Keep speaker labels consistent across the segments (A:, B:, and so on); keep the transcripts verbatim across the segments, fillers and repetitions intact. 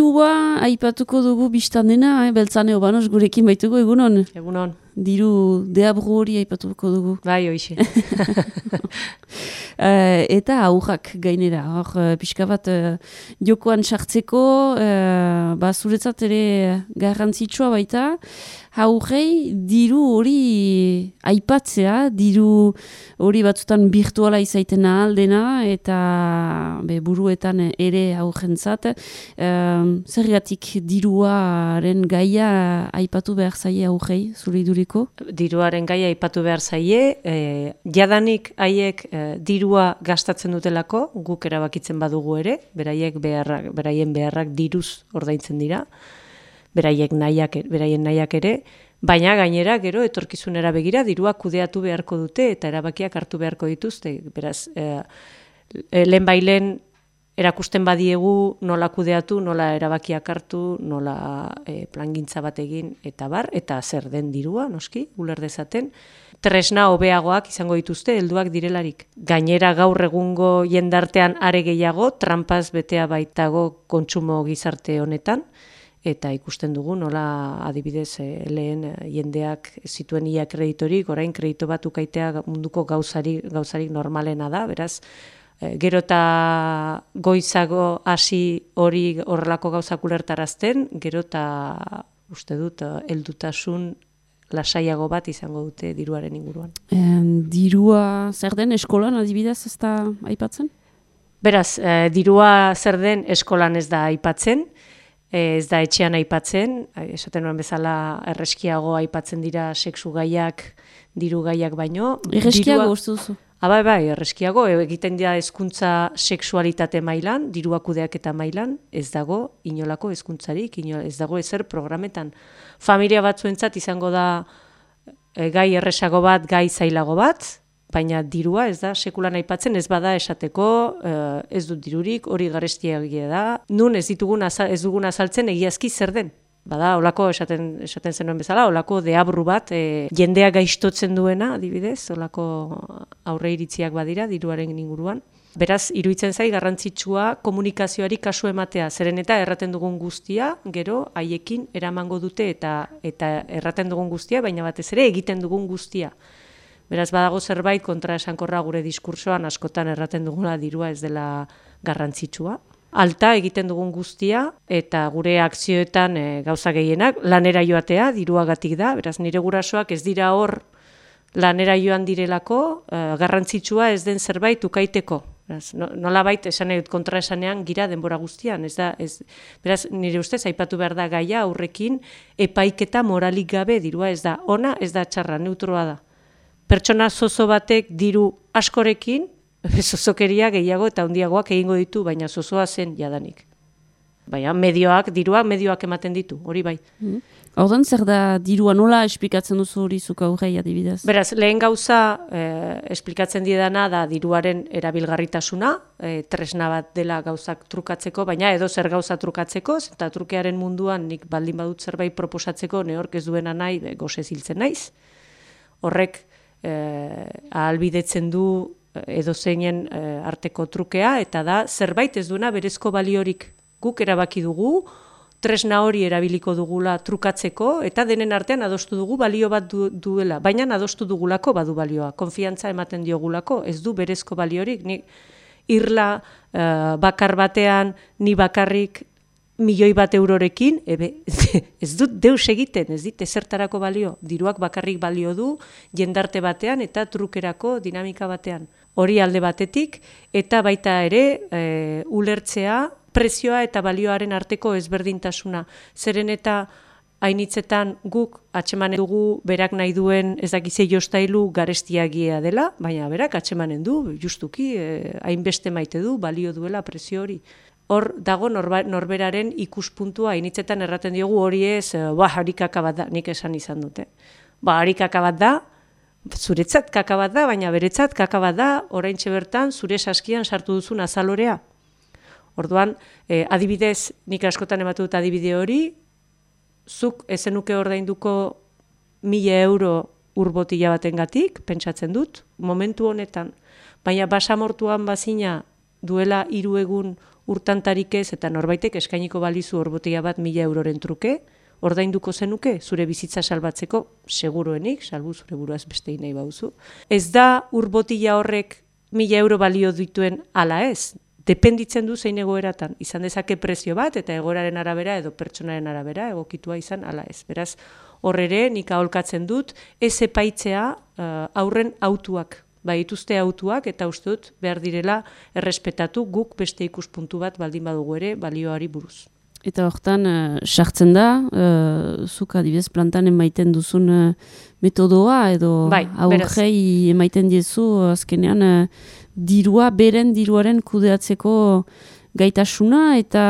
A: dirua aipatuko dugu biztan dena, eh? Beltzane Obanos gurekin baitugu, egunon?
B: Egunon.
A: Diru deabru hori aipatuko dugu.
B: Bai, hoixe.
A: Uh, eta aurrak gainera, hor, uh, pixka bat uh, jokoan sartzeko, uh, ba, zuretzat ere garrantzitsua baita, aurrei diru hori aipatzea, diru hori batzutan virtuala izaiten aldena, eta be, buruetan ere aurrentzat, uh, zergatik diruaren gaia aipatu behar zaie aurrei, zure iduriko?
B: Diruaren gaia aipatu behar zaie, eh, jadanik haiek eh, dirua gastatzen dutelako, guk erabakitzen badugu ere, beraiek beharrak, beraien beharrak diruz ordaintzen dira, beraiek nahiak, beraien nahiak ere, baina gainera gero etorkizunera begira dirua kudeatu beharko dute eta erabakiak hartu beharko dituzte. Beraz, eh, lehen bailen erakusten badiegu nola kudeatu, nola erabakiak hartu, nola eh, plangintza bat egin eta bar, eta zer den dirua, noski, uler dezaten. Tresna hobeagoak izango dituzte helduak direlarik. Gainera gaur egungo jendartean are gehiago, tranpaz betea baitago kontsumo gizarte honetan, eta ikusten dugu nola adibidez eh, lehen eh, jendeak zituen ia kreditorik, orain kredito bat ukaitea munduko gauzari, gauzarik normalena da, beraz, eh, gero eta goizago hasi hori horrelako gauzak ulertarazten, gero eta uste dut heldutasun lasaiago bat izango dute diruaren inguruan.
A: En, dirua zer den eskolan adibidez ez da aipatzen?
B: Beraz, eh, dirua zer den eskolan ez da aipatzen, ez da etxean aipatzen, esaten nuen bezala erreskiago aipatzen dira sexu gaiak, diru gaiak baino.
A: Erreskiago uste duzu?
B: Bai, bai, erreskiago, egiten dira hezkuntza sexualitate mailan, dirua kudeaketa mailan, ez dago inolako hezkuntzarik, ez dago ezer programetan. Familia batzuentzat izango da e, gai erresago bat, gai zailago bat, baina dirua ez da sekulan aipatzen, ez bada esateko, ez dut dirurik, hori garestiagia da, nun ez ditugun ez dugun azaltzen egiazki zer den. Bada, olako esaten, esaten zenuen bezala, olako deabru bat, e, jendea gaixtotzen duena, adibidez, olako aurre iritziak badira, diruaren inguruan. Beraz, iruditzen zai garrantzitsua komunikazioari kasu ematea, zeren eta erraten dugun guztia, gero haiekin eramango dute eta eta erraten dugun guztia, baina batez ere egiten dugun guztia. Beraz, badago zerbait kontraesankorra gure diskursoan askotan erraten duguna dirua ez dela garrantzitsua. Alta egiten dugun guztia eta gure akzioetan e, gauza gehienak lanera joatea diruagatik da. Beraz, nire gurasoak ez dira hor lanera joan direlako, e, garrantzitsua ez den zerbait ukaiteko. Beraz, no, nolabait esan edut kontraesanean gira denbora guztian. Ez da, ez, beraz, nire ustez aipatu behar da gaia aurrekin epaiketa moralik gabe dirua ez da ona, ez da txarra, neutroa da. Pertsona zozo batek diru askorekin, zozokeria gehiago eta handiagoak egingo ditu, baina zozoa zen jadanik. Baina medioak, diruak medioak ematen ditu, hori bai.
A: Mm. Ordan zer da dirua nola esplikatzen duzu hori zuk aurrei adibidez?
B: Beraz, lehen gauza eh, esplikatzen diedana da diruaren erabilgarritasuna, eh, tresna bat dela gauzak trukatzeko, baina edo zer gauza trukatzeko, eta trukearen munduan nik baldin badut zerbait proposatzeko, neork ez duena nahi, be, gosez hiltzen naiz. Horrek eh, ahalbidetzen du edo zeinen e, arteko trukea, eta da zerbait ez duena berezko baliorik. Guk erabaki dugu, tresna hori erabiliko dugula trukatzeko, eta denen artean adostu dugu balio bat du, duela, baina adostu dugulako badu balioa, konfiantza ematen diogulako, ez du berezko baliorik, ni irla e, bakar batean, ni bakarrik milioi bat eurorekin, ebe, ez dut deus egiten, ez dit ezertarako balio, diruak bakarrik balio du, jendarte batean eta trukerako dinamika batean. Hori alde batetik, eta baita ere e, ulertzea prezioa eta balioaren arteko ezberdintasuna. Zeren eta hainitzetan guk atsemanen dugu berak nahi duen ez dakize jostailu garestiagia dela, baina berak atsemanen du, justuki, e, hainbeste maite du, balio duela prezio hori. Hor dago norba, norberaren ikuspuntua, hainitzetan erraten diogu hori ez, ba, harikaka bat da, nik esan izan dute. Ba, harikaka bat da, zuretzat kaka bat da, baina beretzat kaka bat da, oraintxe bertan zure saskian sartu duzun azalorea. Orduan, eh, adibidez, nik askotan ematu dut adibide hori, zuk ezenuke ordainduko mila euro urbotila batengatik, pentsatzen dut, momentu honetan. Baina basamortuan bazina duela hiru egun urtantarik ez eta norbaitek eskainiko balizu orbotia bat mila euroren truke, ordainduko zenuke zure bizitza salbatzeko seguruenik, salbu zure buruaz beste nahi bauzu. Ez da urbotila horrek mila euro balio dituen ala ez, dependitzen du zein egoeratan, izan dezake prezio bat eta egoeraren arabera edo pertsonaren arabera egokitua izan ala ez. Beraz, hor ere nik aholkatzen dut ez epaitzea uh, aurren autuak, bai dituzte autuak eta uste dut behar direla errespetatu guk beste ikuspuntu bat baldin badugu ere balioari buruz.
A: Eta hortan, sartzen uh, da, uh, zuk adibidez plantan emaiten duzun uh, metodoa, edo
B: bai,
A: aurrei emaiten diezu, azkenean, uh, dirua, beren diruaren kudeatzeko gaitasuna, eta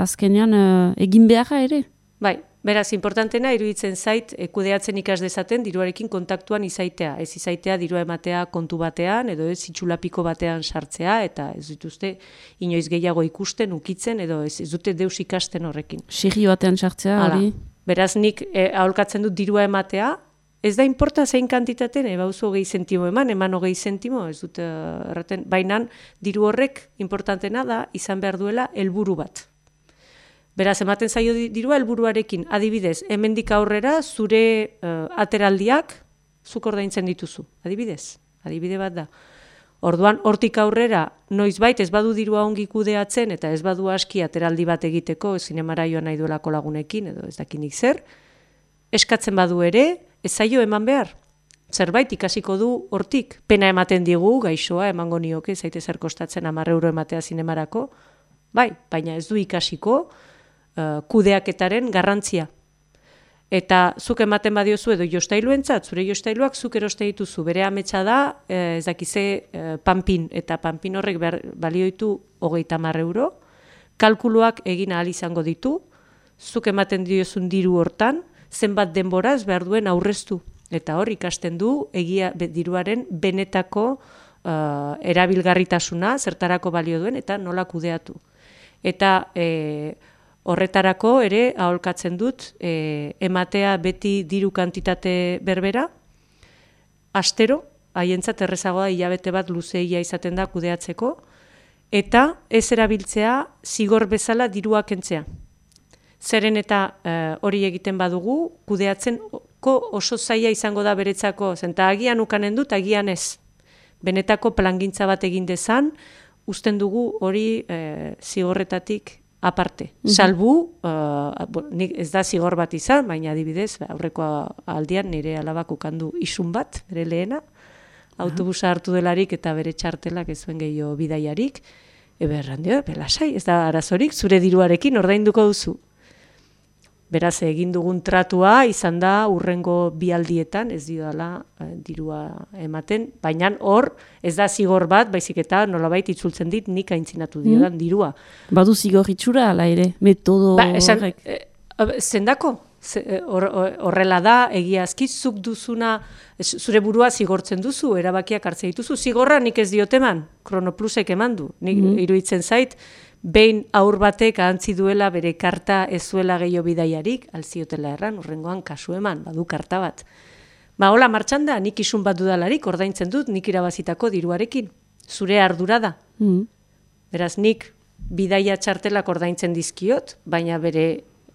A: azkenean uh, egin beharra ere.
B: Bai, beraz, importantena iruditzen zait, e, kudeatzen ikas dezaten diruarekin kontaktuan izaitea. Ez izaitea dirua ematea kontu batean, edo ez itxulapiko batean sartzea, eta ez dituzte inoiz gehiago ikusten, ukitzen, edo ez, ez dute deus ikasten horrekin.
A: Segi batean sartzea, hori?
B: Beraz, nik e, aholkatzen dut dirua ematea, ez da inporta zein kantitaten, eba oso hogei zentimo eman, eman hogei zentimo, ez dut erraten, bainan diru horrek importantena da, izan behar duela helburu bat. Beraz, ematen zaio dirua helburuarekin, adibidez, hemendik aurrera zure uh, ateraldiak zuk ordaintzen dituzu, adibidez, adibide bat da. Orduan, hortik aurrera, noizbait ez badu dirua ongi kudeatzen, eta ez badu aski ateraldi bat egiteko, zinemara joan nahi duelako lagunekin, edo ez dakinik zer, eskatzen badu ere, ez zaio eman behar. Zerbait ikasiko du hortik, pena ematen digu, gaixoa, emango nioke, zaite zer kostatzen hamar euro ematea zinemarako, bai, baina ez du ikasiko, Uh, kudeaketaren garrantzia. Eta zuk ematen badiozu edo jostailuentzat, zure jostailuak zuk eroste dituzu, bere ametsa da, eh, ez dakize eh, panpin, eta panpin horrek behar, balioitu hogeita hamar euro, kalkuluak egin ahal izango ditu, zuk ematen diozun diru hortan, zenbat denboraz behar duen aurreztu. Eta hor ikasten du, egia be, diruaren benetako uh, erabilgarritasuna, zertarako balio duen, eta nola kudeatu. Eta eh, horretarako ere aholkatzen dut e, ematea beti diru kantitate berbera, astero, haientzat errezagoa hilabete bat luzeia izaten da kudeatzeko, eta ez erabiltzea zigor bezala dirua kentzea. Zeren eta e, hori egiten badugu, kudeatzenko oso zaila izango da beretzako, zenta agian ukanen dut, agian ez. Benetako plangintza bat egin dezan, usten dugu hori e, zigorretatik aparte. Mm-hmm. Salbu, uh, nik ez da zigor bat izan, baina adibidez, aurreko aldian nire alabak ukandu isun bat, bere lehena, autobusa hartu delarik eta bere txartelak ez zuen gehiago bidaiarik, eberran dio, belasai, ez da arazorik, zure diruarekin ordainduko duzu. Beraz, egin dugun tratua izan da urrengo bi aldietan, ez diodala eh, dirua ematen, baina hor ez da zigor bat, baizik eta nolabait itzultzen dit nik aintzinatu diodan mm. dirua.
A: Badu zigor itxura, ala ere, metodo
B: ba, esan,
A: horrek.
B: E, zendako, horrela da, egiazki, zuk duzuna, zure burua zigortzen duzu, erabakiak hartzen dituzu, zigorra nik ez dioteman, Kronoplusek eman du, nik mm. iruditzen zait, behin aur batek ahantzi duela bere karta ez zuela gehiago bidaiarik, alziotela erran, urrengoan kasu eman, badu karta bat. Ba, hola, martxan da, nik isun bat dudalarik, ordaintzen dut, nik irabazitako diruarekin. Zure ardura da. Mm. Beraz, nik bidaia txartelak ordaintzen dizkiot, baina bere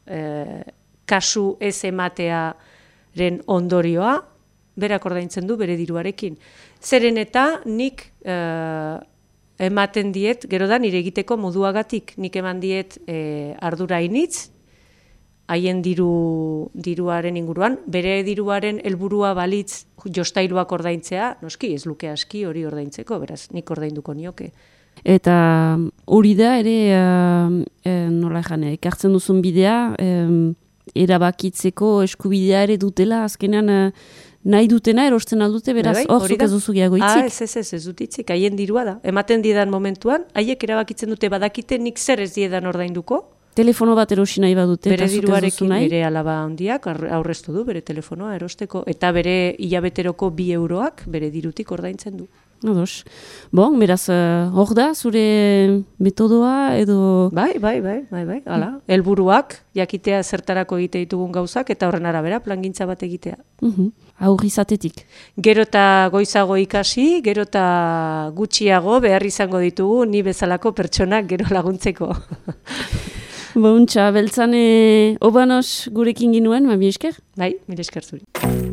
B: eh, kasu ez ematearen ondorioa, berak ordaintzen du bere diruarekin. Zeren eta nik eh, ematen diet, gero da nire egiteko moduagatik, nik eman diet e, ardura initz, haien diru, diruaren inguruan, bere diruaren helburua balitz jostailuak ordaintzea, noski ez luke aski hori ordaintzeko, beraz, nik ordainduko nioke.
A: Eta hori da ere, uh, e, nola jane, ekartzen duzun bidea, um, erabakitzeko eskubidea ere dutela, azkenean uh, nahi dutena erosten aldute, beraz, hor zuk ez duzu gehiago itzik.
B: Ah, ez, ez, ez, ez dut itzik, haien dirua da. Ematen diedan momentuan, haiek erabakitzen dute badakite nik zer ez diedan ordainduko.
A: Telefono bat erosi nahi badute,
B: bere diruarekin bere alaba handiak aurreztu du, bere telefonoa erosteko, eta bere hilabeteroko bi euroak bere dirutik ordaintzen du.
A: Ados. Bon, beraz, hor da, zure metodoa edo...
B: Bai, bai, bai, bai, bai, hala. Helburuak, jakitea zertarako egite ditugun gauzak, eta horren arabera, plangintza bat egitea.
A: Uh-huh. Aurri izatetik.
B: Gero eta goizago ikasi, gero eta gutxiago behar izango ditugu, ni bezalako pertsonak gero laguntzeko.
A: Bontxa, beltzane obanos gurekin ginuen, ma mi esker?
B: Bai, mi esker zuri.